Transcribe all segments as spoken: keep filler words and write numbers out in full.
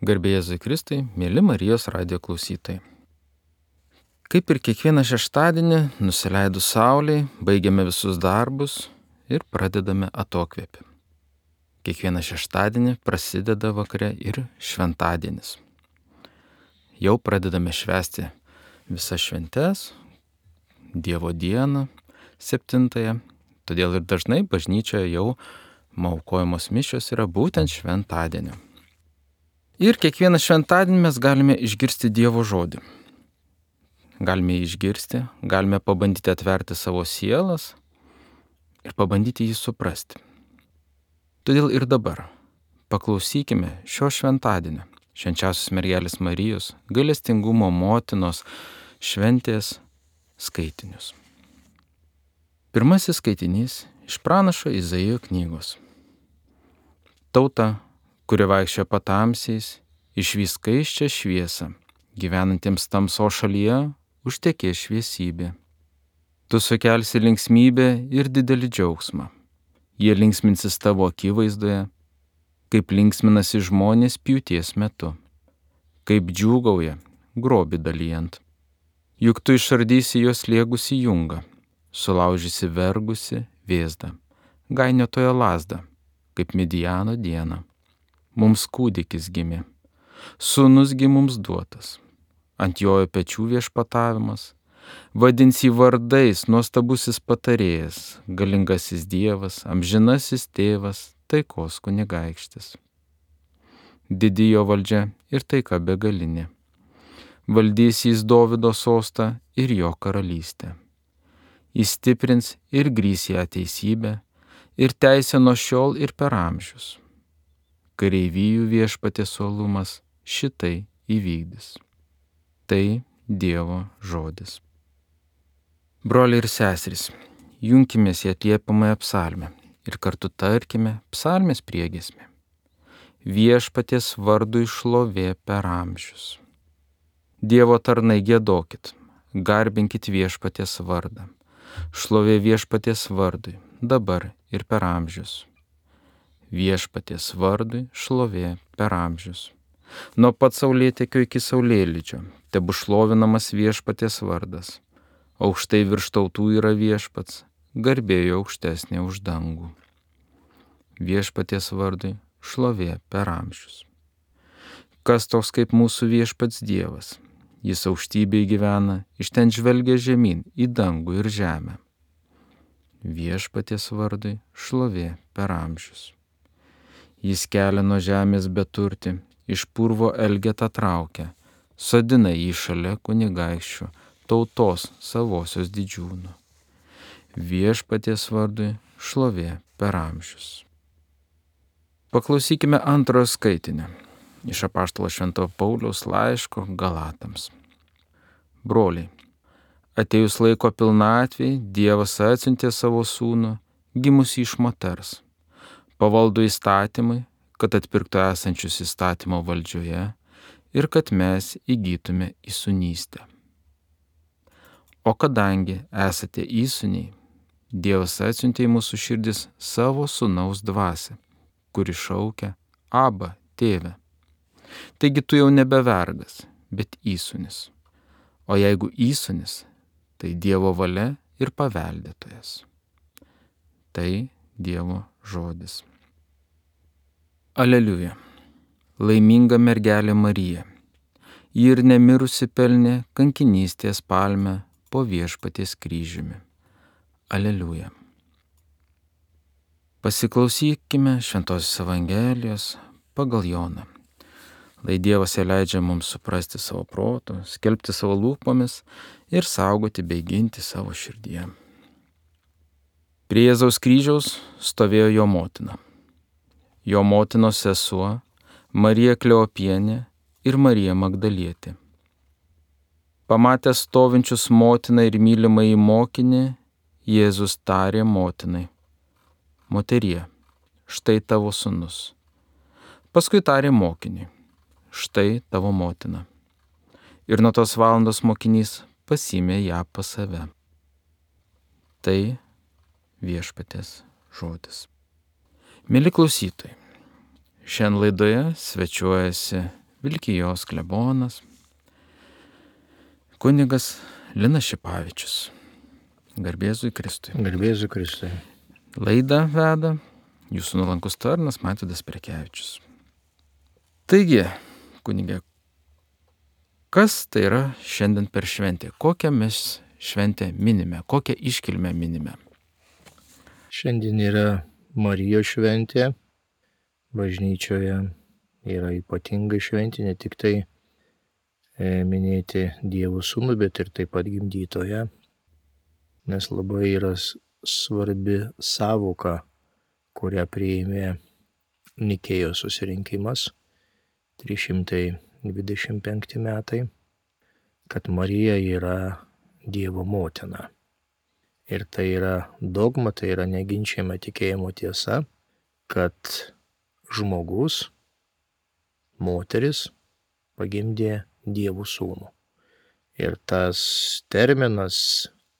Garbė Jėzui Kristui, mėly Marijos radijo klausytojai. Kaip ir kiekvieną šeštadienį, nusileidus saulei, baigiame visus darbus ir pradedame atokvėpį. Kiekvieną šeštadienį prasideda vakare ir šventadienis. Jau pradedame švęsti visas šventes, Dievo dieną, septintąją, todėl ir dažnai bažnyčioje jau aukojamos mišios yra būtent šventadienio. Ir kiekvieną šventadienį mes galime išgirsti Dievo žodį. Galime jį išgirsti, galime pabandyti atverti savo sielas ir pabandyti jį suprasti. Todėl ir dabar paklausykime šio šventadienio, švenčiausios mergelės Marijos, gailestingumo motinos šventės skaitinius. Pirmasis skaitinys iš pranašo Izaijo knygos. Tauta, kuri vaikščioja patamsiais, išvys skaisčią šviesą, gyvenantiems tamso šalyje užtekės šviesybė. Tu sukelsi linksmybę ir didelį džiaugsmą. Jie linksminsis tavo akivaizdoje, kaip linksminasi žmonės pjūties metu, kaip džiūgauja grobį dalijant. Juk tu išardysi jos liegusi jungą, sulaužysi vergusi vėzdą, gainiotojo lazdą, kaip Midijano dieną. Mums kūdikis gimė, sūnus gi mums duotas, ant jojo pečių viešpatavimas, vadins jį vardais nuostabusis patarėjas, galingasis Dievas, amžinasis tėvas, taikos kunigaikštis. Didi jo valdžia ir taika begalinė. Valdys jis Dovydo sostą ir jo karalystę. Jis stiprins ir grįs ją teisybę ir teisę nuo šiol ir per amžius. Kareivijų viešpaties uolumas šitai įvykdys. Tai Dievo žodis. Broliai ir seserys, junkimės į atliepamąją psalmę ir kartu tarkime psalmės priegiesmę. Viešpaties vardui šlovė per amžius. Dievo tarnai giedokit, garbinkit viešpaties vardą. Šlovė viešpaties vardui, dabar ir per amžius. Viešpaties vardui šlovė per amžius. Nuo pat saulėtekio iki saulėlydžio, tebu šlovinamas viešpaties vardas. Aukštai virš tautų yra viešpats, garbėjo aukštesnė už dangų. Viešpaties vardui šlovė per amžius. Kas toks kaip mūsų viešpats Dievas? Jis aukštybėje gyvena, iš ten žvelgia žemyn į dangų ir žemę. Viešpaties vardui šlovė per amžius. Jis kelia nuo žemės beturtį, iš purvo elgetą traukia, sodina jį šalia kunigaikščių, tautos savosios didžiūnų. Viešpaties vardui šlovė per amžius. Paklausykime antrojo skaitinio iš apaštalo Šventojo Pauliaus laiško Galatams. Broliai, atėjus laiko pilnatvei, Dievas atsiuntė savo sūnų, gimusį iš moters, pavaldų įstatymui, kad atpirktų esančius įstatymo valdžioje ir kad mes įgytume įsūnystę. O kadangi esate įsūniai, Dievas atsiuntė į mūsų širdis savo sūnaus dvasią, kuri šaukia Abba, tėve. Taigi tu jau nebe vergas, bet įsūnis. O jeigu įsūnis, tai Dievo valia ir paveldėtojas. Tai Dievo žodis. Aleliuja. Laiminga mergelė Marija. Ji ir nemirusi pelnė kankinystės palmę po viešpaties kryžiumi. Aleliuja. Pasiklausykime Šventosios Evangelijos pagal Joną. Lai Dievas ją leidžia mums suprasti savo protu, skelbti savo lūpomis ir saugoti bei ginti savo širdyje. Prie Jėzaus kryžiaus stovėjo jo motina. Jo motinos sesuo Marija Kleopienė ir Marija Magdalietė. Pamatęs stovinčius motiną ir mylimąjį mokinį, Jėzus tarė motinai: Moterie, štai tavo sūnus. Paskui tarė mokiniui: Štai tavo motina. Ir nuo tos valandos mokinys pasiėmė ją pas save. Tai viešpaties žodis. Mėly klausytojai, šiandien laidoje svečiuojasi Vilkijos klebonas, kunigas Linas Šipavičius. Garbėzui Kristui. Garbėzui Kristui. Laidą veda jūsų nuolankus tarnas Mavydas Prekevičius. Taigi, kunigė, kas tai yra šiandien per šventę? Kokią mes šventę minime? Kokią iškilmę minime? Šiandien yra Marijos šventė. Bažnyčioje yra ypatinga šventė, ne tik tai e, minėti Dievo sūnų, bet ir taip pat gimdytoje. Nes labai yra svarbi sąvoka, kurią priėmė Nikėjos susirinkimas trys šimtai dvidešimt penkti metai, kad Marija yra Dievo motina. Ir tai yra dogma, tai yra neginčiama tikėjimo tiesa, kad žmogus, moteris pagimdė Dievo sūnų. Ir tas terminas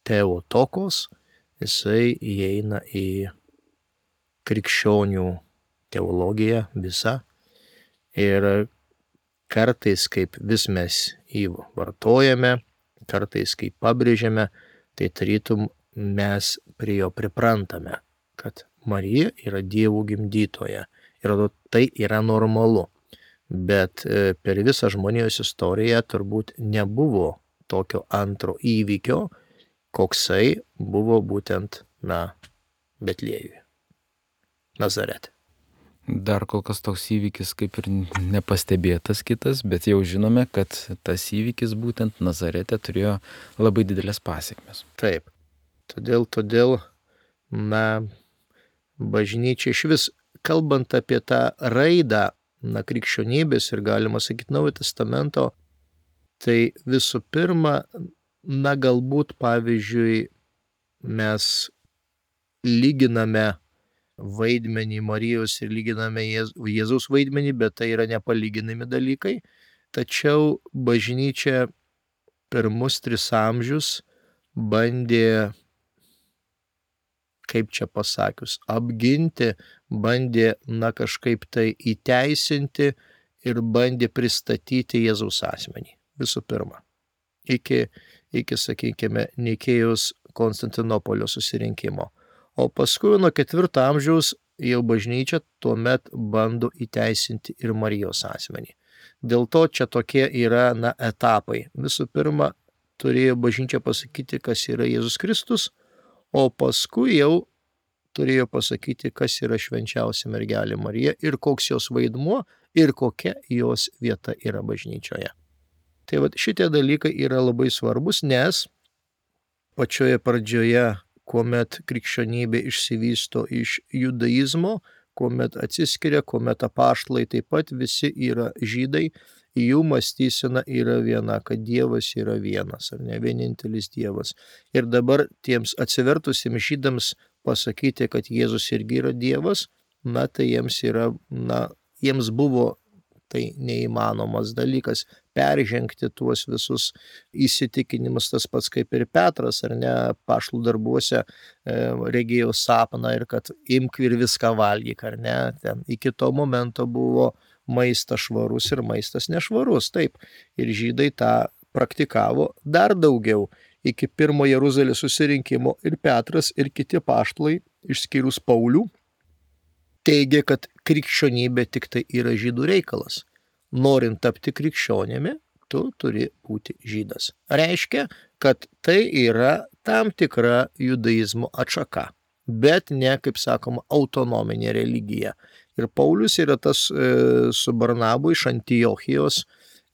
Theotokos, jisai įeina į krikščionių teologiją visą. Ir kartais, kaip vis mes jį vartojame, kartais, kaip pabrėžiame, tai tarytum mes prie jo priprantame, kad Marija yra Dievo gimdytoja. Ir tai yra normalu. Bet per visą žmonijos istoriją turbūt nebuvo tokio antro įvykio, koksai buvo būtent, na, Betliejuje, Nazarete. Dar kol kas toks įvykis kaip ir nepastebėtas kitas, bet jau žinome, kad tas įvykis būtent Nazarete turėjo labai didelės pasekmes. Taip. Todėl, todėl, na, bažnyčia iš vis, kalbant apie tą raidą, na, krikščionybės ir galima sakyti Naujojo Testamento, tai visų pirma, na, galbūt, pavyzdžiui, mes lyginame vaidmenį Marijos ir lyginame Jėzaus vaidmenį, bet tai yra nepalyginami dalykai. Tačiau bažnyčia pirmus tris amžius bandė, kaip čia pasakius, apginti, bandė, na, kažkaip tai įteisinti ir bandė pristatyti Jėzaus asmenį. Visų pirma, iki, iki sakykime, Nikėjos Konstantinopolio susirinkimo. O paskui nuo ketvirto amžiaus jau bažnyčia tuomet bando įteisinti ir Marijos asmenį. Dėl to čia tokie yra, na, etapai. Visų pirma, turėjo bažnyčia pasakyti, kas yra Jėzus Kristus, o paskui jau turėjo pasakyti, kas yra švenčiausia mergelė Marija ir koks jos vaidmuo ir kokia jos vieta yra bažnyčioje. Tai va, šitie dalykai yra labai svarbus, nes pačioje pradžioje, kuomet krikščionybė išsivysto iš judaizmo, kuomet atsiskiria, kuomet apaštalai taip pat visi yra žydai, jų mąstysena yra viena, kad Dievas yra vienas, ar ne, vienintelis Dievas. Ir dabar tiems atsivertusiems žydams pasakyti, kad Jėzus irgi yra Dievas, na, tai jiems yra, na, jiems buvo tai neįmanomas dalykas peržengti tuos visus įsitikinimus, tas pats kaip ir Petras, ar ne, apaštalų darbuose e, regėjo sapną ir kad imk ir viską valgyk, ar ne, ten iki to momento buvo maistas švarus ir maistas nešvarus, taip, ir žydai tą praktikavo dar daugiau iki pirmo Jeruzalės susirinkimo ir Petras ir kiti apaštalai, išskyrus Paulių, teigia, kad krikščionybė tik tai yra žydų reikalas. Norint tapti krikščionimi, tu turi būti žydas. Reiškia, kad tai yra tam tikra judaizmo atšaka, bet ne, kaip sakoma, autonominė religija. Ir Paulius yra tas e, su Barnabu iš Antiochijos,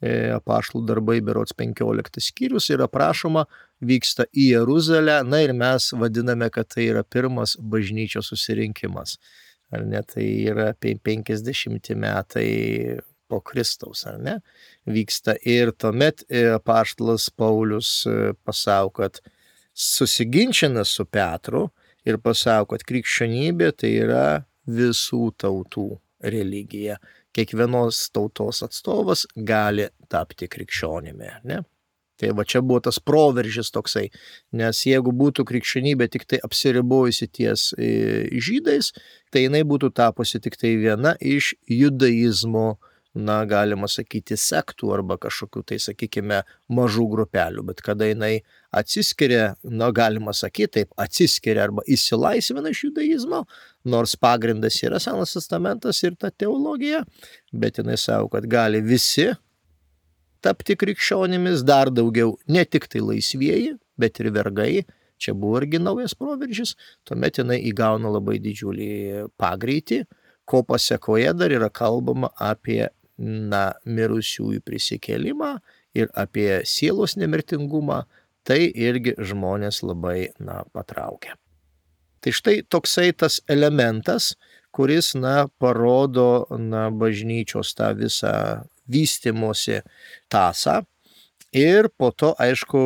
e, apaštalų darbai berods penkioliktas skyrius, yra prašoma, vyksta į Jeruzalę, na ir mes vadiname, kad tai yra pirmas bažnyčios susirinkimas. Ar ne, tai yra penkiasdešimti metai po Kristaus, ar ne, vyksta. Ir tuomet apaštalas Paulius pasako, kad susiginčina su Petru ir pasako, kad krikščionybė tai yra visų tautų religija. Kiekvienos tautos atstovas gali tapti krikščionimi, ne? Tai va čia buvo tas proveržis toksai, nes jeigu būtų krikščionybė tik tai apsiribojusi ties žydais, tai jinai būtų tapusi tik tai viena iš judaizmo na, galima sakyti, sektų arba kažkokių tai, sakykime, mažų grupelių, bet kada jinai atsiskiria, na, galima sakyti taip, atsiskiria arba įsilaisvina iš judaizmo, nors pagrindas yra Senas testamentas ir ta teologija, bet jinai savo, kad gali visi tapti krikščionimis, dar daugiau, ne tik tai laisvieji, bet ir vergai, čia buvo irgi naujas proveržis, tuomet jinai įgauna labai didžiulį pagreitį, ko pasekoje dar yra kalbama apie, na, mirusiųjų prisikėlimą ir apie sielos nemirtingumą, tai irgi žmonės labai, na, patraukia. Tai štai toksai tas elementas, kuris, na, parodo, na, bažnyčios tą visą vystimosi tąsą. Ir po to, aišku,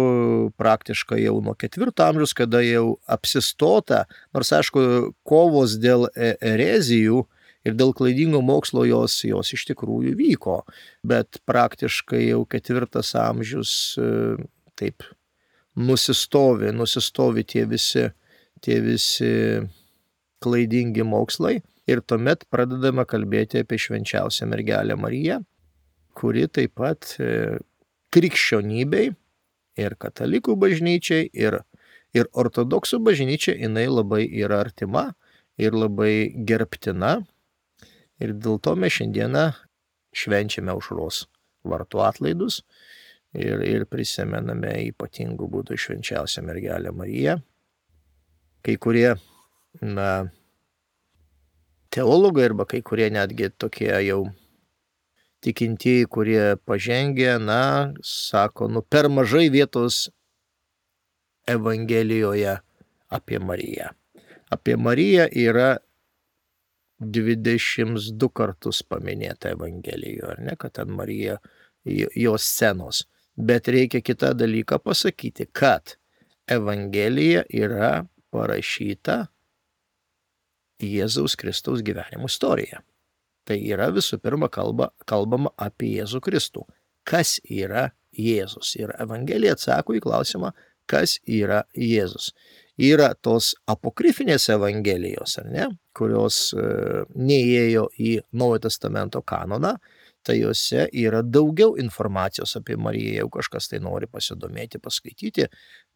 praktiškai jau nuo ketvirto amžiaus, kada jau apsistota, nors, aišku, kovos dėl erezijų ir dėl klaidingo mokslo jos, jos iš tikrųjų vyko, bet praktiškai jau ketvirtas amžius taip nusistovi, nusistovi tie visi, tie visi klaidingi mokslai ir tuomet pradedame kalbėti apie švenčiausią mergelę Mariją, kuri taip pat krikščionybei ir katalikų bažnyčiai ir, ir ortodoksų bažnyčiai jinai labai yra artima ir labai gerbtina. Ir dėl to mes šiandieną švenčiame aušros vartų atlaidus ir, ir prisimename ypatingų būdų švenčiausią mergelę Mariją. Kai kurie, na, teologai arba kai kurie netgi tokie jau tikintieji, kurie pažengė, na, sako, nu, per mažai vietos Evangelijoje apie Mariją. Apie Mariją yra dvidešimt du kartus paminėta Evangelijoje, ar ne, kad ten Marija, jos scenos. Bet reikia kitą dalyką pasakyti, kad Evangelija yra parašyta Jėzaus Kristaus gyvenimo istorija. Tai yra visų pirma kalba, kalbama apie Jėzų Kristų. Kas yra Jėzus? Ir Evangelija atsako į klausimą, kas yra Jėzus. Yra tos apokrifinės Evangelijos, ar ne, kurios e, neįėjo į Naujojo testamento kanoną, tai juose yra daugiau informacijos apie Mariją, jeigu kažkas tai nori pasidomėti, paskaityti,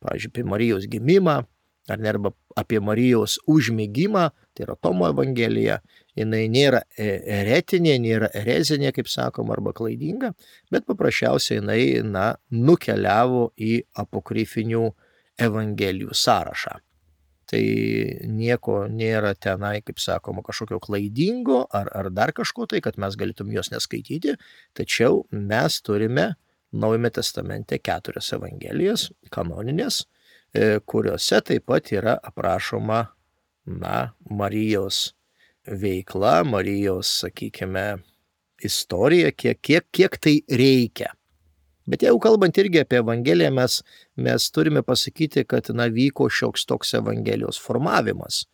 pavyzdžiui, apie Marijos gimimą, ar ne, arba apie Marijos užmigimą, tai yra Tomo Evangelija, jinai nėra eretinė, nėra erezinė, kaip sakoma, arba klaidinga, bet paprasčiausiai jinai, na, nukeliavo į apokrifinių Evangelijų sąrašą. Tai nieko nėra tenai, kaip sakoma, kažkokio klaidingo ar, ar dar kažko tai, kad mes galėtum jos neskaityti, tačiau mes turime Naujame testamente keturias Evangelijas, kanoninės, kuriuose taip pat yra aprašoma, na, Marijos veikla, Marijos, sakykime, istorija, kiek, kiek, kiek tai reikia. Bet jeigu kalbant irgi apie Evangeliją, mes, mes turime pasakyti, kad, na, vyko šioks toks Evangelijos formavimas.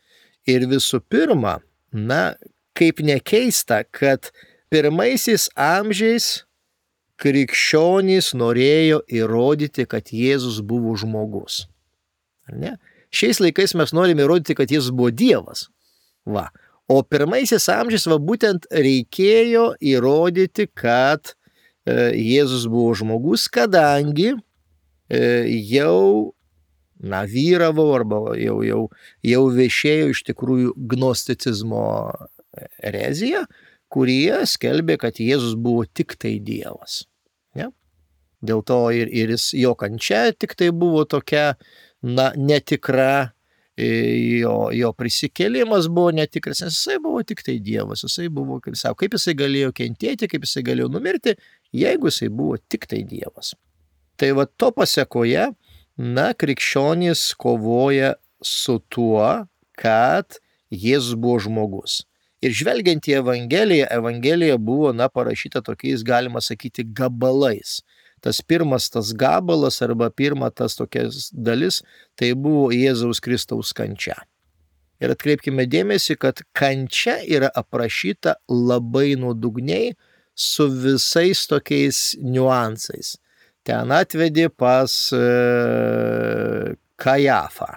Ir visų pirma, na, kaip nekeista, kad pirmaisiais amžiais krikščionys norėjo įrodyti, kad Jėzus buvo žmogus. Ar ne? Šiais laikais mes norime įrodyti, kad Jėzus buvo Dievas. Va. O pirmaisiais amžiais va būtent reikėjo įrodyti, kad Jėzus buvo žmogus, kadangi jau, na, vyravo arba jau, jau, jau viešėjo iš tikrųjų gnosticizmo erezija, kurie skelbė, kad Jėzus buvo tik tai Dievas. Ne? Dėl to ir, ir jis, jo kančia tik tai buvo tokia, na, netikra, jo, jo prisikėlimas buvo netikras, nes jisai buvo tik tai Dievas, jisai buvo, kaip sako, kaip jisai galėjo kentėti, kaip jisai galėjo numirti, jeigu jisai buvo tik tai Dievas. Tai va to pasekoje, na, krikščionys kovoja su tuo, kad Jėzus buvo žmogus. Ir žvelgiant į Evangeliją, Evangelija buvo, na, parašyta tokiais, galima sakyti, gabalais. Tas pirmas tas gabalas arba pirma tas tokias dalis, tai buvo Jėzaus Kristaus kančia. Ir atkreipkime dėmesį, kad kančia yra aprašyta labai nuodugniai su visais tokiais niuansais. Ten atvedė pas e, Kajafą.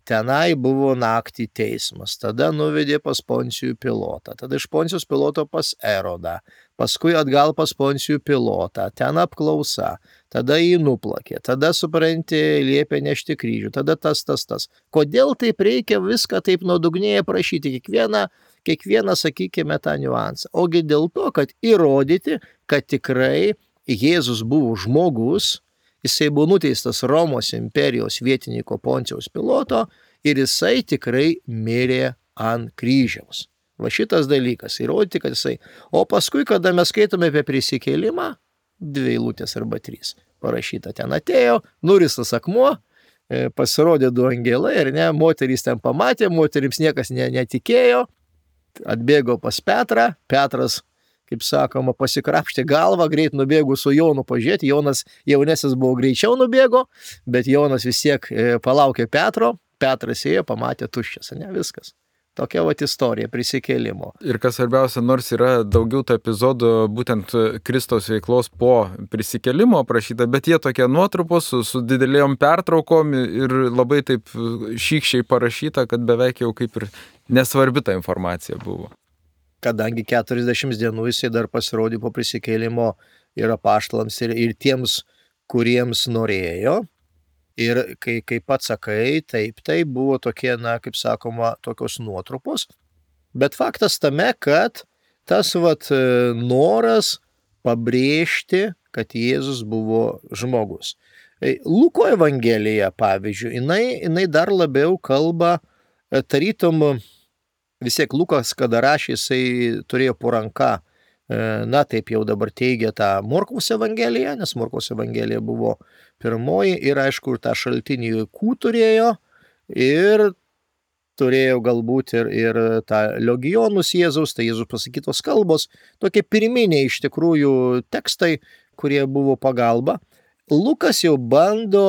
tenai buvo naktį teismas, tada nuvedė pas Poncijų Pilotą, tada iš Poncijos Piloto pas Erodą, paskui atgal pas Poncijų Pilotą, ten apklausa, tada jį nuplakė, tada, supranti, liepė nešti kryžių, tada tas, tas, tas. Kodėl taip reikia viską taip nuodugniai aprašyti, kiekvieną, kiekvieną, sakykime, tą niuansą? Ogi dėl to, kad įrodyti, kad tikrai Jėzus buvo žmogus, jisai buvo nuteistas Romos imperijos vietininko Poncijaus Piloto ir jisai tikrai mirė ant kryžiaus. Va šitas dalykas, įrodyti, kad jisai. O paskui, kada mes skaitome apie prisikėlimą, dvi eilutės arba trys, parašyta, ten atėjo, nuristas akmuo, pasirodė du angelai, ir ne, moterys ten pamatė, moterims niekas ne, netikėjo, atbėgo pas Petrą, Petras, kaip sakoma, pasikrapštė galvą, greit nubėgo su Jonu pažiūrėti, Jonas jaunesnis buvo greičiau nubėgo, bet Jonas vis tiek palaukė Petro, Petras ėjo, pamatė tuščias, ne, viskas. Tokia vat istorija prisikėlimo. Ir kas svarbiausia, nors yra daugiau tų epizodų būtent Kristaus veiklos po prisikėlimo aprašyta, bet jie tokie nuotrupos su, su didelėjom pertraukom ir labai taip šykščiai parašyta, kad beveik jau kaip ir nesvarbi ta informacija buvo. Kadangi keturiasdešimt dienų jisai dar pasirodė po prisikėlimo ir apaštalams, ir, ir tiems, kuriems norėjo. Ir kai, kai pats sakai, taip, tai buvo tokie, na, kaip sakoma, tokios nuotrupos. Bet faktas tame, kad tas vat noras pabrėžti, kad Jėzus buvo žmogus. Luko Evangelija, pavyzdžiui, jinai, jinai dar labiau kalba, tarytum, vis tiek Lukas, kada rašė, jisai turėjo po ranka, na taip jau dabar teigia tą Morkaus Evangeliją, nes Morkaus Evangelija buvo pirmoji ir aišku, ir tą šaltinį Kų turėjo ir turėjo galbūt ir, ir tą Logionus Jėzaus, tai Jėzus pasakytos kalbos, tokie pirminiai iš tikrųjų tekstai, kurie buvo pagalba. Lukas jau bando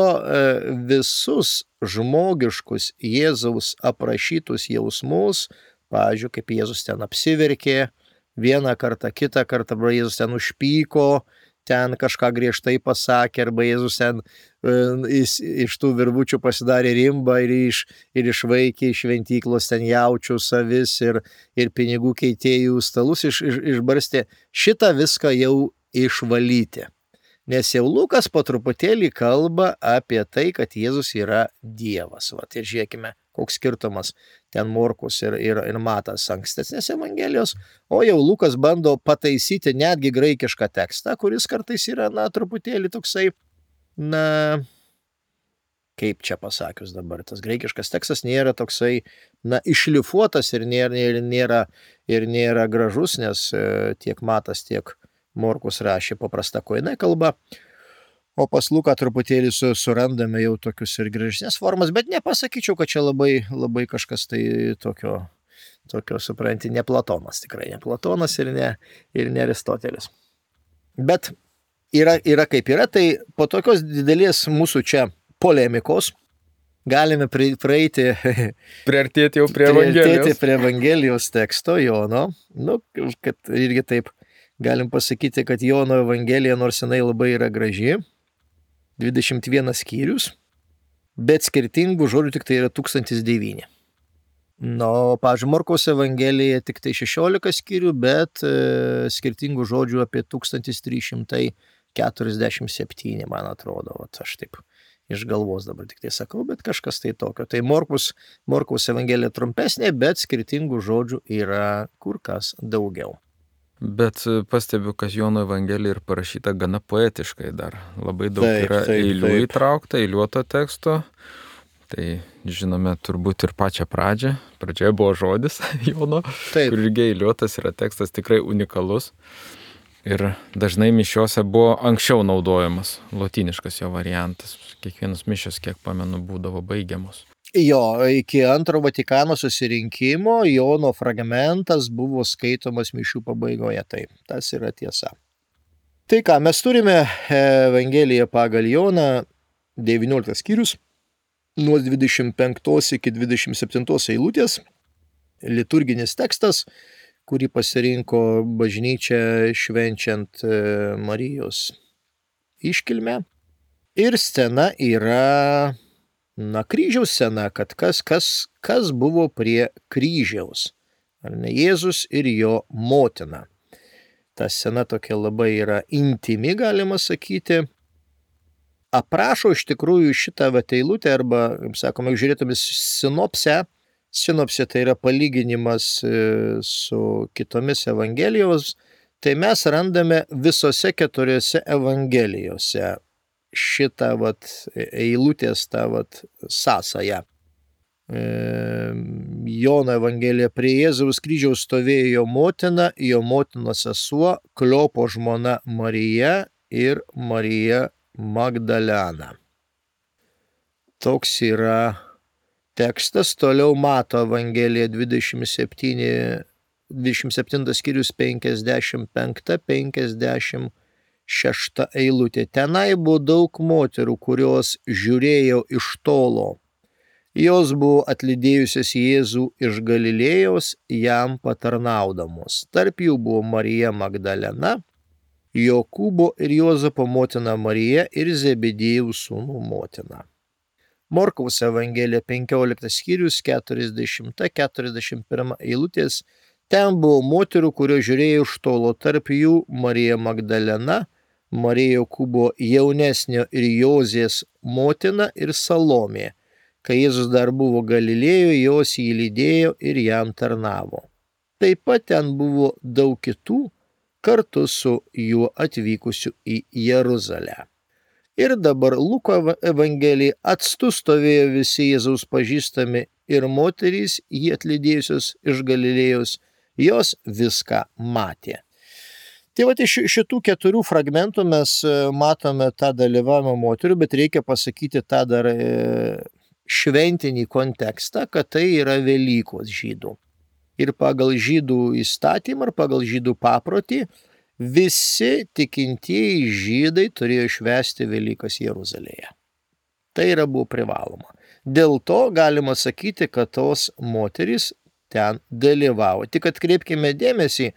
visus žmogiškus Jėzaus aprašytus jausmus, pavyzdžiui, kaip Jėzus ten apsiverkė, vieną kartą, kitą kartą, arba Jėzus ten užpyko, ten kažką griežtai pasakė, arba Jėzus ten e, iš, iš tų virvučių pasidarė rimbą ir, iš, ir išvaikė iš šventyklos ten jaučių savis ir, ir pinigų keitėjų stalus iš, iš, išbarstė. Šitą viską jau išvalyti. Nes jau Lukas po truputėlį kalba apie tai, kad Jėzus yra Dievas. Vat, ir žiūrėkime, koks skirtumas ten Morkus ir, ir, ir Matas ankstesnės Evangelijos, o jau Lukas bando pataisyti netgi graikišką tekstą, kuris kartais yra, na, truputėlį toksai, na, kaip čia pasakius dabar, tas graikiškas tekstas nėra toksai, na, išlifuotas ir nėra, ir nėra, ir nėra gražus, nes tiek Matas, tiek Morkus rašė paprasta koine kalba, o pas Luką truputėlį su, surandame jau tokius ir gražesnės formas, bet nepasakyčiau, kad čia labai, labai kažkas tai tokio, tokio, supranti, ne Platonas, tikrai ne Platonas ir ne, ir ne Aristotelis. Bet yra, yra kaip yra, tai po tokios didelės mūsų čia polemikos galime praeiti, priartėti jau prie Evangelijos. prie Evangelijos teksto Jono, nu, kad irgi taip galim pasakyti, kad Jono Evangelija, nors jinai labai yra graži, dvidešimt vienas skyrius, bet skirtingų žodžių tik tai yra tūkstantis devyni. Na, o, pavyzdžiui, Morkaus Evangelija tik tai šešiolika skyrių, bet e, skirtingų žodžių apie tūkstantis trys šimtai keturiasdešimt septyni, man atrodo. Vat aš taip iš galvos dabar tik tai sakau, bet kažkas tai tokio. Tai Morkus, Morkaus Evangelija trumpesnė, bet skirtingų žodžių yra kur kas daugiau. Bet pastebiu, kad Jono Evangelija ir parašyta gana poetiškai dar. Labai daug taip, yra taip, eilių taip. įtraukta, eiliuoto teksto. Tai žinome turbūt ir pačią pradžią. Pradžioje buvo žodis Jono, Taip. kur irgi eiliuotas yra tekstas tikrai unikalus. Ir dažnai mišiose buvo anksčiau naudojamas lotyniškas jo variantas. Kiekvienos mišios, kiek pamenu, būdavo baigiamos. Jo, iki antro Vatikano susirinkimo Jono fragmentas buvo skaitomas mišių pabaigoje, taip, tas yra tiesa. Tai ką, mes turime Evangeliją pagal Joną, devynioliktas skyrius, nuo dvidešimt penktos iki dvidešimt septintos eilutės, liturginis tekstas, kurį pasirinko bažnyčia švenčiant Marijos iškilmę. Ir scena yra na, kryžiaus scena, kad kas, kas, kas buvo prie kryžiaus. Ar ne, Jėzus ir jo motina. Ta scena tokia labai yra intimi, galima sakyti. Aprašo iš tikrųjų šitą vat eilutę, arba, kaip sakoma, žiūrėtume sinopsę. Sinopsė tai yra palyginimas su kitomis evangelijos. Tai mes randame visose keturiose evangelijose šitą vat eilutės tą vat sąsają. Jono evangelija: prie Jėzaus kryžiaus stovėjo jo motina, jo motinos sesuo, Kliopo žmona Marija ir Marija Magdalena. Toks yra tekstas. Toliau Mato evangelija dvidešimt septyni, dvidešimt septintas skyrius penkiasdešimt penki penkiasdešimt šešta eilutė. Tenai buvo daug moterų, kurios žiūrėjo iš tolo. Jos buvo atlydėjusios Jėzų iš Galilėjos, jam patarnaudamos. Tarp jų buvo Marija Magdalena, Jokūbo ir Juozapo motina Marija ir Zebediejaus sūnų motina. Morkaus evangelija penkioliktas skyrius keturiasdešimta keturiasdešimt pirma eilutės. Ten buvo moterų, kurios žiūrėjo iš tolo, tarp jų Marija Magdalena, Marija Jokūbo jaunesnio ir Jozės motina ir Salomė. Kai Jėzus dar buvo Galilėjoje, jos jį lydėjo ir jam tarnavo. Taip pat ten buvo daug kitų, kartu su juo atvykusių į Jeruzalę. Ir dabar Luko evangelija: atstu stovėjo visi Jėzaus pažįstami ir moterys, jį atlydėjusios iš Galilėjos, jos viską matė. Tai va, iš šitų keturių fragmentų mes matome tą dalyvavimą moterių, bet reikia pasakyti tą dar šventinį kontekstą, kad tai yra Velykos žydų. Ir pagal žydų įstatymą, ir pagal žydų paprotį, visi tikintieji žydai turėjo švęsti Velykas Jeruzalėje. Tai yra buvo privaloma. Dėl to galima sakyti, kad tos moterys ten dalyvavo. Tik atkreipkime dėmesį,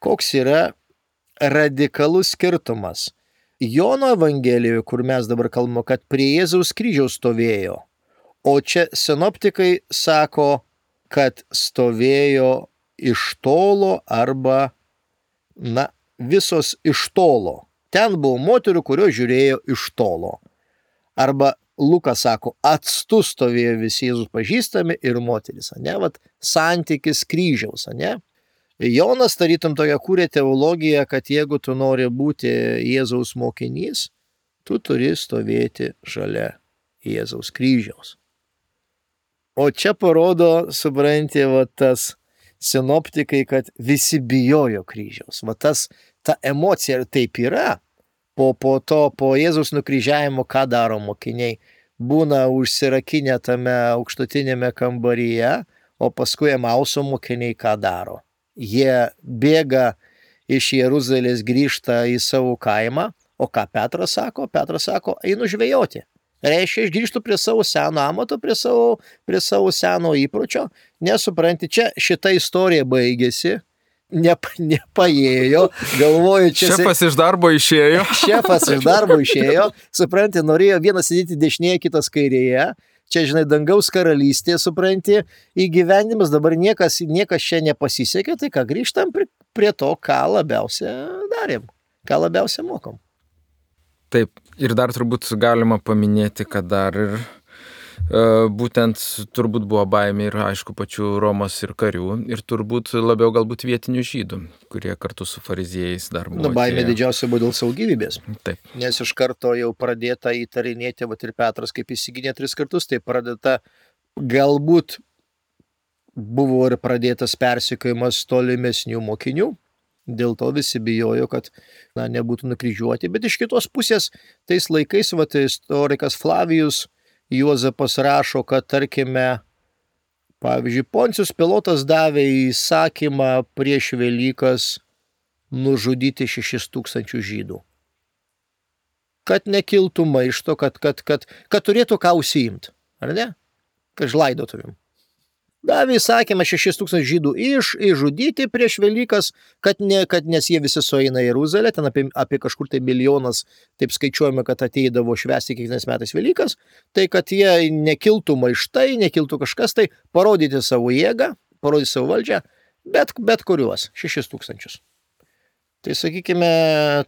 koks yra radikalus skirtumas. Jono evangelijoje, kur mes dabar kalbame, kad prie Jėzaus kryžiaus stovėjo, o čia sinoptikai sako, kad stovėjo iš tolo arba, na, visos iš tolo. Ten buvo moterų, kurios žiūrėjo iš tolo. Arba Lukas sako, atstu stovėjo visi Jėzus pažįstami ir moteris, ne? Vat santykis kryžiaus, ne? Jonas tarytum tokia kūrė teologiją, kad jeigu tu nori būti Jėzaus mokinys, tu turi stovėti šalia Jėzaus kryžiaus. O čia parodo, supranti, va tas sinoptikai, kad visi bijojo kryžiaus. Va tas, ta emocija taip yra. Po, po to, po Jėzaus nukryžiavimo, ką daro mokiniai? Būna užsirakinę tame aukštutinėme kambaryje, o paskui Emauso mokiniai ką daro? Jie bėga iš Jeruzalės, grįžta į savo kaimą, o ką Petras sako? Petras sako, einu žvejoti. Reiškia, aš grįžtu prie savo seno amato, prie savo, prie savo seno įpročio. Nesupranti, čia šita istorija baigėsi, nep, nepaėjo, galvoju, čia... Šefas iš darbo išėjo. Šefas iš darbo išėjo, supranti, norėjo vienas sėdėti dešinėje, kitas kairėje. Čia, žinai, dangaus karalystė, supranti, įgyvendimas, dabar niekas, niekas čia nepasisekė, tai ką grįžtam prie, prie to, ką labiausia darėm, ką labiausia mokom. Taip, ir dar turbūt galima paminėti, kad dar ir e, būtent turbūt buvo baimė ir, aišku, pačių Romos ir karių, ir turbūt labiau galbūt vietinių žydų, kurie kartu su fariziejais dar buvo. Na, baimė didžiausia buvo dėl savo gyvybės. Taip. Nes iš karto jau pradėta įtarinėti, vat ir Petras, kaip įsiginė tris kartus, tai pradėta, galbūt buvo ir pradėtas persekiojimas tolimesnių mokinių. Dėl to visi bijojo, kad na, nebūtų nukryžiuoti. Bet iš kitos pusės, tais laikais, vat, istorikas Flavijus Juozapas rašo, kad, tarkime, pavyzdžiui, Poncijus Pilotas davė įsakymą prieš Velykas nužudyti šešis tūkstančių žydų. Kad nekiltų maišto, kad, kad, kad, kad turėtų ką užsiimti. Ar ne? Kad žlaidotuvim. davė įsakymą šešis tūkstančius žydų iš, išžudyti prieš Velykas, kad, ne, kad nes jie visi sueina į Jeruzalę, ten apie, apie kažkur tai milijonas, taip skaičiuojame, kad ateidavo švęsti kiekvienais metais Velykas, tai kad jie nekiltų maištai, nekiltų kažkas, tai parodyti savo jėgą, parodyti savo valdžią, bet, bet kuriuos, šešis tūkstančius. Tai sakykime,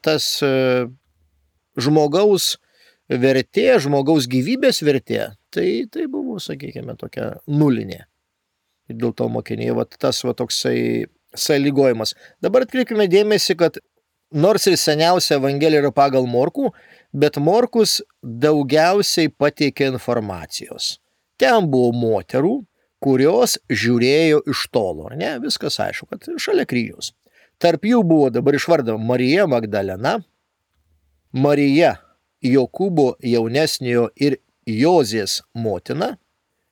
tas žmogaus vertė, žmogaus gyvybės vertė, tai, tai buvo, sakykime, tokia nulinė. Ir dėl to mokiniai, va, tas va, toksai sąlygojimas. Dabar atkreipkime dėmesį, kad nors ir seniausia Evangelija yra pagal Morkų, bet Morkus daugiausiai pateikė informacijos. Ten buvo moterų, kurios žiūrėjo iš tolo, ne? Viskas aišku, kad šalia kryžiaus. Tarp jų buvo dabar išvardama Marija Magdalena, Marija Jokūbo jaunesniojo ir Jozės motina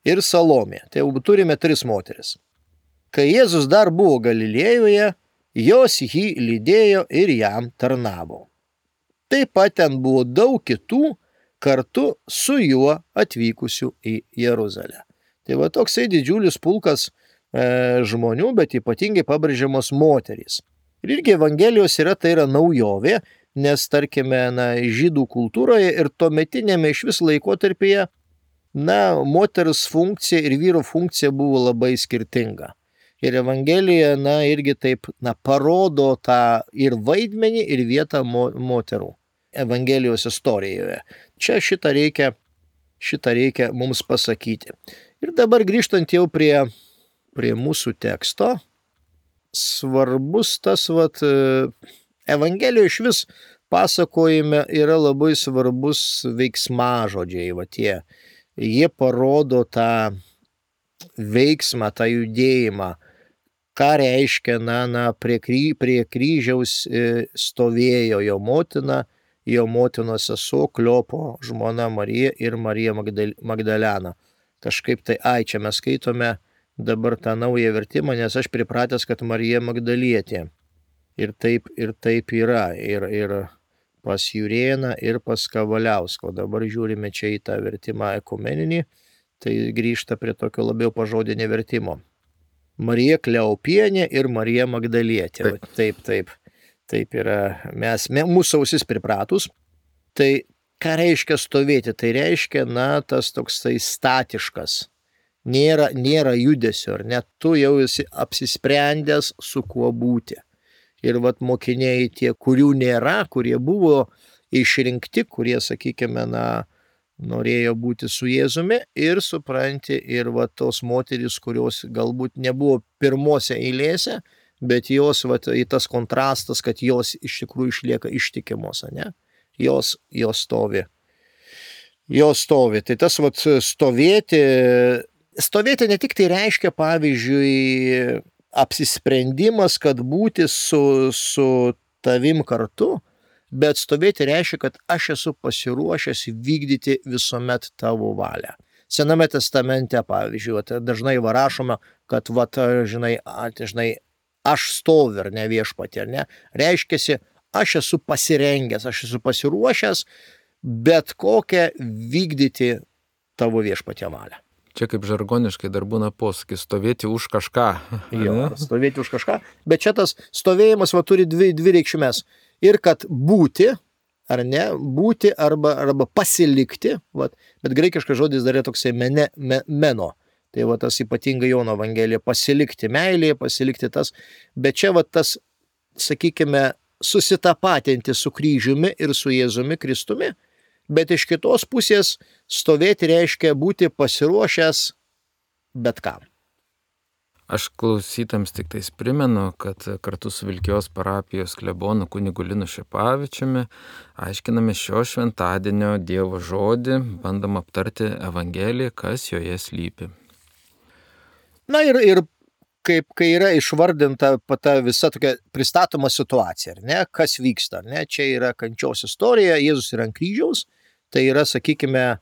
ir Salomė. Tai jau turime tris moteris. Kai Jėzus dar buvo Galilėjoje, jos jį lydėjo ir jam tarnavo. Taip pat ten buvo daug kitų kartu su juo atvykusių į Jeruzalę. Tai va toksai didžiulis pulkas e, žmonių, bet ypatingai pabrėžiamos moterys. Ir irgi Evangelijos yra, tai yra naujovė, nes tarkime, na, žydų kultūroje ir tuometinėme iš vis laikotarpyje, na, moters funkcija ir vyro funkcija buvo labai skirtinga. Ir Evangelija, na, irgi taip, na, parodo tą ir vaidmenį, ir vietą mo moterų Evangelijos istorijoje. Čia šitą reikia, šitą reikia mums pasakyti. Ir dabar grįžtant jau prie, prie mūsų teksto, svarbus tas, vat, Evangelijoje iš vis pasakojime yra labai svarbus veiksmažodžiai, va tie. Jie parodo tą veiksmą, tą judėjimą, ką reiškia, na, na, prie, kry, prie kryžiaus stovėjo jo motina, jo motinos sesuo Kliopo žmona Marija ir Marija Magdal, Magdalena. Kažkaip tai, ai, čia mes skaitome dabar tą naują vertimą, nes aš pripratęs, kad Marija Magdalietė. Ir taip, ir taip yra. Ir, ir pas Jurėną ir pas Kavaliausko. Dabar žiūrime čia į tą vertimą ekumeninį, tai grįžta prie tokio labiau pažodinio vertimo. Marija Kleopienė ir Marija Magdalietė. Taip, taip, taip, taip yra. Mes, mūsų ausis pripratus. Tai ką reiškia stovėti? Tai reiškia, na, tas toks tai statiškas. Nėra, nėra judesio, ar net tu jau esi apsisprendęs su kuo būti. Ir vat mokiniai tie, kurių nėra, kurie buvo išrinkti, kurie, sakykime, na, norėjo būti su Jėzumi ir supranti, ir vat tos moterys, kurios galbūt nebuvo pirmose eilėse, bet jos, vat, į tas kontrastas, kad jos iš tikrųjų išlieka ištikimos, ne? Jos, jos stovi. Jos stovi. Tai tas, vat, stovėti, stovėti ne tik tai reiškia, pavyzdžiui, apsisprendimas, kad būti su, su tavim kartu, bet stovėti reiškia, kad aš esu pasiruošęs vykdyti visuomet tavo valią. Sename testamente, pavyzdžiui, dažnai rašoma, kad, vat, žinai, žinai, aš stoviu, ar ne, viešpatie, ar ne, reiškiasi, aš esu pasirengęs, aš esu pasiruošęs bet kokią vykdyti tavo viešpatie valią. Čia kaip žargoniškai dar būna posakis, stovėti už kažką. Jo, stovėti už kažką, bet čia tas stovėjimas va, turi dvi, dvi reikšmės. Ir kad būti, ar ne, būti arba, arba pasilikti, va, bet graikiškas žodis dar yra toksai mene, me, meno. Tai va tas ypatingai Jono Evangelija, pasilikti meilėje, pasilikti tas, bet čia va tas, sakykime, susitapatinti su kryžiumi ir su Jėzumi Kristumi, bet iš kitos pusės stovėti reiškia būti pasiruošęs bet kam. Aš klausytams tik tais primenu, kad kartu su Vilkijos parapijos klebonu kunigu Linu Šepavičiumi aiškiname šio šventadienio Dievo žodį, bandom aptarti Evangeliją, kas joje slypi. Na ir, ir kaip, kai yra išvardinta ta visa tokia pristatoma situacija, ar ne, kas vyksta, ar ne, čia yra kančios istorija, Jėzus yra ant kryžiaus, tai yra, sakykime,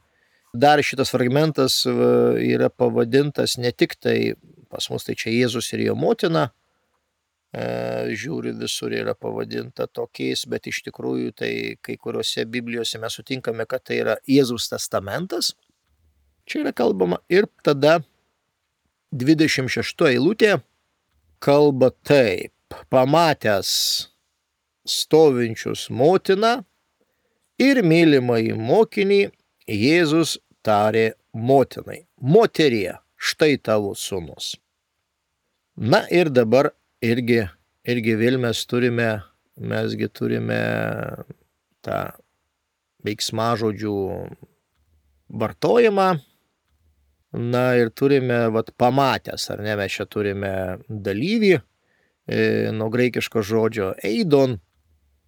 dar šitas fragmentas yra pavadintas ne tik tai, pas mus tai čia Jėzus ir jo motina, e, žiūriu visur yra pavadinta tokiais, bet iš tikrųjų tai kai kuriuose Biblijose mes sutinkame, kad tai yra Jėzaus testamentas, čia yra kalbama ir tada dvidešimt šešta eilutė kalba taip. Pamatęs stovinčius motiną ir mylimąjį mokinį, Jėzus tarė motinai: moterie, štai tavo sūnus. Na ir dabar irgi, irgi vėl mes turime, mesgi turime tą veiksmažodžių vartojimą. Na ir turime, vat, pamatęs, ar ne, mes čia turime dalyvį, e, nuo graikiško žodžio eidon.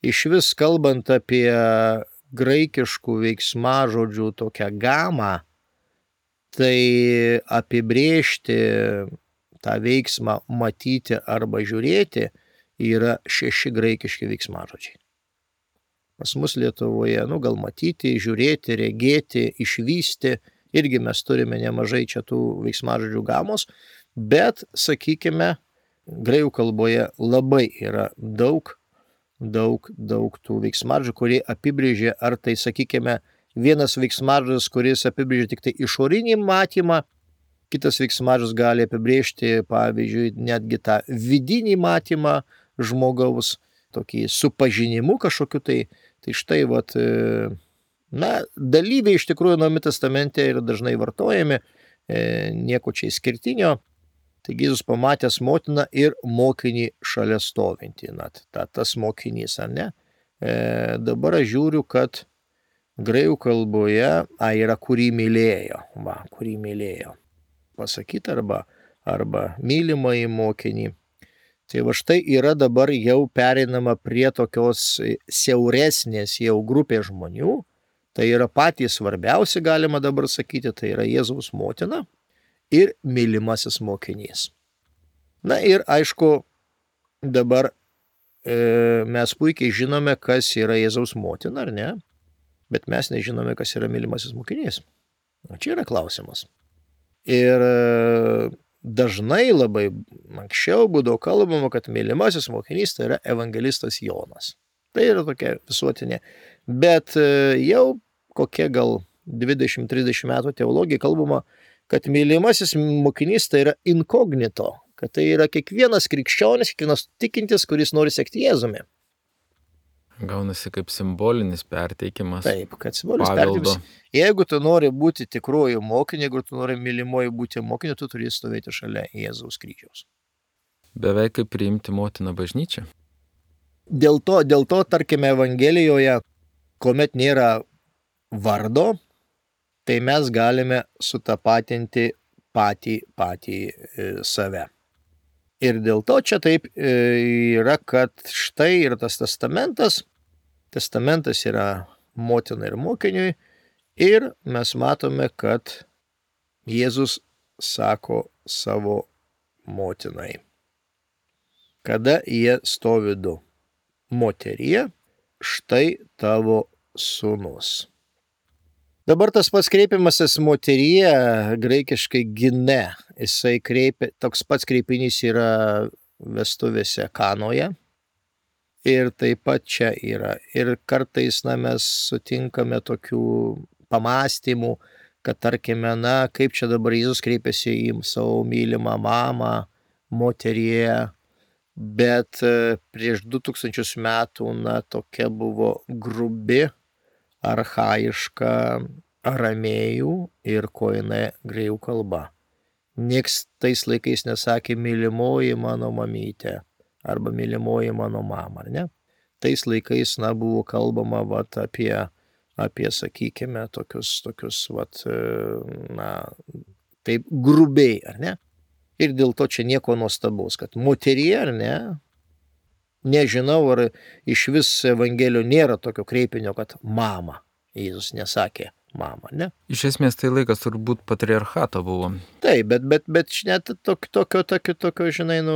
Iš vis kalbant apie graikiškų veiksmažodžių tokią gamą, tai apibrėžti tą veiksmą matyti arba žiūrėti yra šeši graikiški veiksmažodžiai. Pas mus Lietuvoje, nu gal matyti, žiūrėti, regėti, išvysti, irgi mes turime nemažai čia tų veiksmažodžių gamos, bet, sakykime, graikų kalboje labai yra daug, daug, daug tų veiksmažodžių, kurie apibrėžia, ar tai, sakykime, vienas veiksmažodis, kuris apibrėžia tik tai išorinį matymą, kitas veiksmažodis gali apibrėžti, pavyzdžiui, netgi tą vidinį matymą žmogaus, tokį supažinimu kažkokiu tai. Tai štai, vat, na, dalyviai iš tikrųjų Naujame testamente yra dažnai vartojami, nieko čia išskirtinio. Taigi Jėzus pamatęs motiną ir mokinį šalia stovintį. Na, ta, tas mokinys, ar ne? E, dabar aš žiūriu, kad graikų kalboje a, yra kurį mylėjo. Va, kurį mylėjo. Pasakyti arba, arba mylimąjį mokinį. Tai va štai yra dabar jau pereinama prie tokios siauresnės jau grupės žmonių. Tai yra patys svarbiausi, galima dabar sakyti, tai yra Jėzaus motina ir mylimasis mokinys. Na ir aišku, dabar e, mes puikiai žinome, kas yra Jėzaus motina, ar ne? Bet mes nežinome, kas yra mylimasis mokinys. O čia yra klausimas. Ir e, dažnai labai anksčiau būdavo kalbama, kad mylimasis mokinys tai yra evangelistas Jonas. Tai yra tokia visuotinė. Bet jau kokie gal dvidešimt trisdešimt metų teologija kalbama, kad mylimasis mokinys tai yra inkognito, kad tai yra kiekvienas krikščionis, kiekvienas tikintis, kuris nori sekti Jėzumi. Gaunasi kaip simbolinis perteikimas. Taip, kad simbolinis perteikimas. Jeigu tu nori būti tikruoju mokiniu, jeigu tu nori mylimoju būti mokiniu, tu turi stovėti šalia Jėzaus kryžiaus. Beveik kaip priimti motiną bažnyčią. Dėl to, dėl to, tarkime, Evangelijoje, kuomet nėra vardo, tai mes galime sutapatinti patį, patį e, save. Ir dėl to čia taip yra, kad štai ir tas testamentas, testamentas yra motina ir mokiniui, ir mes matome, kad Jėzus sako savo motinai, kada jie stovi du: moterie, štai tavo sūnus. Dabar tas pats kreipimasis moterie, graikiškai gine, jisai kreipia, toks pats kreipinys yra vestuvėse Kanoje. Ir taip pat čia yra. Ir kartais, na, mes sutinkame tokių pamastymų, kad tarkime, na, kaip čia dabar Jėzus kreipiasi į savo mylimą mamą, moterie, bet prieš du tūkstančius metų, na, tokia buvo grubi, archaiška aramėjų ir koine graikų kalba. Nieks tais laikais nesakė mylimoji mano mamytė arba mylimoji mano mama, ar ne? Tais laikais, na, buvo kalbama vat, apie, apie, sakykime, tokius, tokius, vat, na, taip grubiai, ar ne? Ir dėl to čia nieko nuostabaus, kad moterie, ar ne? Nežinau, ar iš vis Evangelijoje nėra tokio kreipinio, kad mama. Jėzus nesakė mama, ne? Iš esmės tai laikas turbūt patriarchato buvo. Taip, bet, bet, bet net tokio, tokio, tokio, tokio, žinai, nu,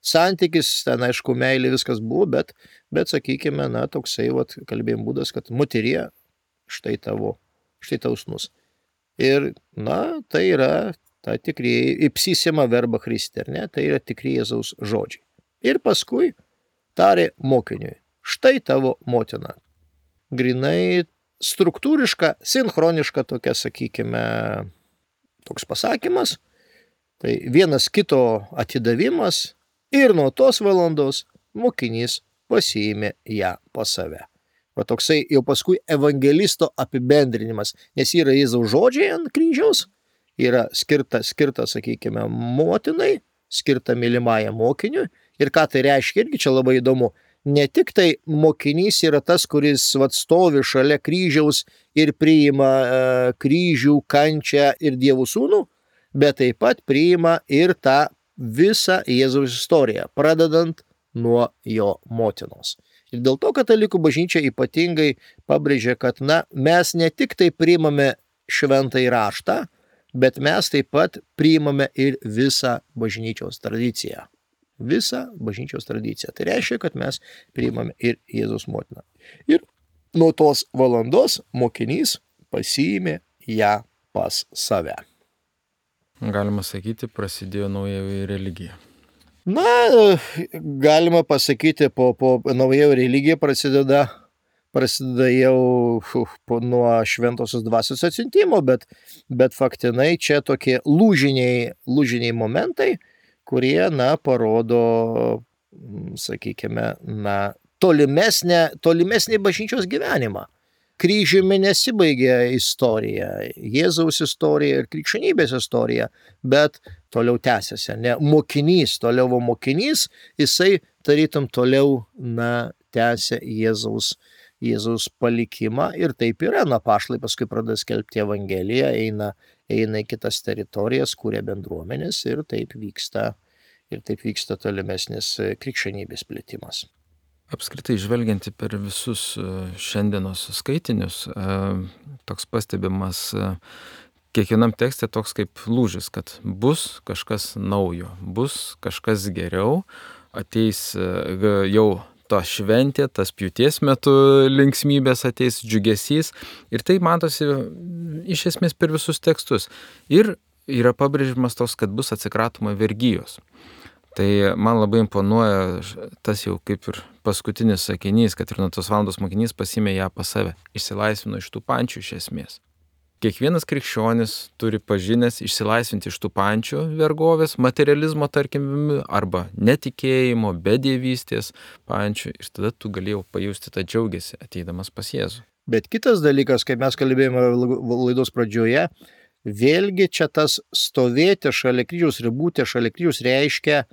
santykis, ten aišku, meilė viskas buvo, bet, bet sakykime, na, toksai, vat, kalbėjim būdas, kad moterie, štai tavo, štai tavo sūnus. Ir, na, tai yra ta tikrieji, ipsisima verba Christi, ar ne? Tai yra tikri Jėzaus žodžiai. Ir paskui tarė mokiniui: štai tavo motina. Grinai struktūriška, sinchroniška tokia, sakykime, toks pasakymas. Tai vienas kito atidavimas ir nuo tos valandos mokinys pasiėmė ją pas save. Va toksai jau paskui evangelisto apibendrinimas, nes yra Jėzaus žodžiai ant kryžiaus, yra skirta, skirta, sakykime, motinai, skirta mylimajam mokiniui. Ir ką tai reiškia, irgi čia labai įdomu. Ne tik tai mokinys yra tas, kuris vat, stovi šalia kryžiaus ir priima e, kryžių, kančią ir Dievo sūnų, bet taip pat priima ir tą visą Jėzaus istoriją, pradedant nuo jo motinos. Ir dėl to katalikų bažnyčia ypatingai pabrėžia, kad na, mes ne tik tai priimame šventąjį raštą, bet mes taip pat priimame ir visą bažnyčios tradiciją. Visą bažnyčios tradiciją. Tai reiškia, kad mes priimame ir Jėzaus motiną. Ir nuo tos valandos mokinys pasiėmė ją pas save. Galima sakyti, prasidėjo naujoji religija. Na, galima pasakyti, po, po naujoji religija prasideda, prasideda jau po, nuo šventosios dvasios atsiuntimo, bet, bet faktinai čia tokie lūžiniai, lūžiniai momentai, kurie, na, parodo, sakykime, na, tolimesnę, tolimesnį bažnyčios gyvenimą. Kryžiumi nesibaigia istorija, Jėzaus istorija ir krikščionybės istorija, bet toliau tęsiasi. Ne, mokinys, toliau mokinys, jisai tarytum toliau, na, tęsia Jėzaus, Jėzaus palikimą ir taip yra. Na, apaštalai paskui pradeda skelbti evangeliją, eina, eina į kitas teritorijas, kuria bendruomenės ir taip vyksta, ir taip vyksta tolimesnis krikščionybės plėtimas. Apskritai, žvelgianti per visus šiandienos skaitinius, toks pastebimas kiekvienam tekste toks kaip lūžis, kad bus kažkas naujo, bus kažkas geriau, ateis jau ta šventė, tas pjūties metu linksmybės, ateis džiugesys ir tai matosi iš esmės per visus tekstus. Ir yra pabrėžimas toks, kad bus atsikratoma vergijos. Tai man labai imponuoja tas jau kaip ir paskutinis sakinys, kad ir nuo tos valandos mokinys pasiėmė ją pas save, išsilaisvino iš tų pančių iš esmės. Kiekvienas krikščionis turi pažinęs išsilaisvinti iš tų pančių vergovės, materializmo, tarkim, arba netikėjimo, bedievystės pančių ir tada tu galėjau pajusti tą džiaugesį ateidamas pas Jėzų. Bet kitas dalykas, kaip mes kalbėjome laidos pradžioje, vėlgi čia tas stovėti šalia kryžiaus ir būti šalia kryžiaus reiškia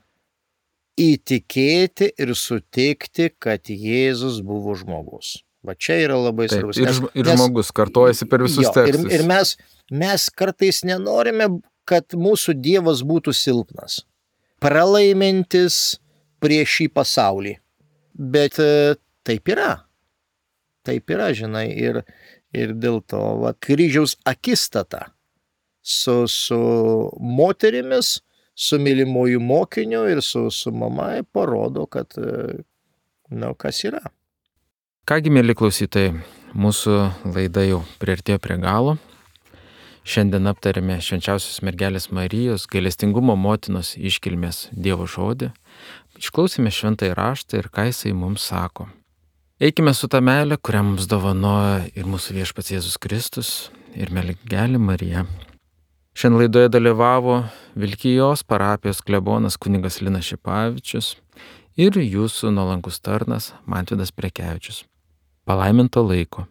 įtikėti ir sutikti, kad Jėzus buvo žmogus. Va čia yra labai Taip, svarbus. Ir, nes, ir nes, žmogus kartojasi per visus jo, tekstus. Ir, ir mes, mes kartais nenorime, kad mūsų Dievas būtų silpnas, pralaimintis prieš šį pasaulį. Bet taip yra. Taip yra, žinai, ir, ir dėl to va, kryžiaus akistata su, su moterimis, su mylimuoju mokiniu ir su, su mama parodo, kad, na, kas yra. Kągi, mėly klausytojai, mūsų laida jau priartėjo prie galo. Šiandien aptarėme švenčiausios mergelės Marijos gailestingumo motinos iškilmės Dievo žodį. Išklausėme šventąjį raštą ir ką jisai mums sako. Eikime su ta meile, kurią mums dovanoja ir mūsų viešpats Jėzus Kristus ir mergelė Marija. Šiandien laidoje dalyvavo Vilkijos parapijos klebonas kunigas Linas Šipavičius ir jūsų nuolankus tarnas Mantvydas Prekevičius. Palaiminto laiko.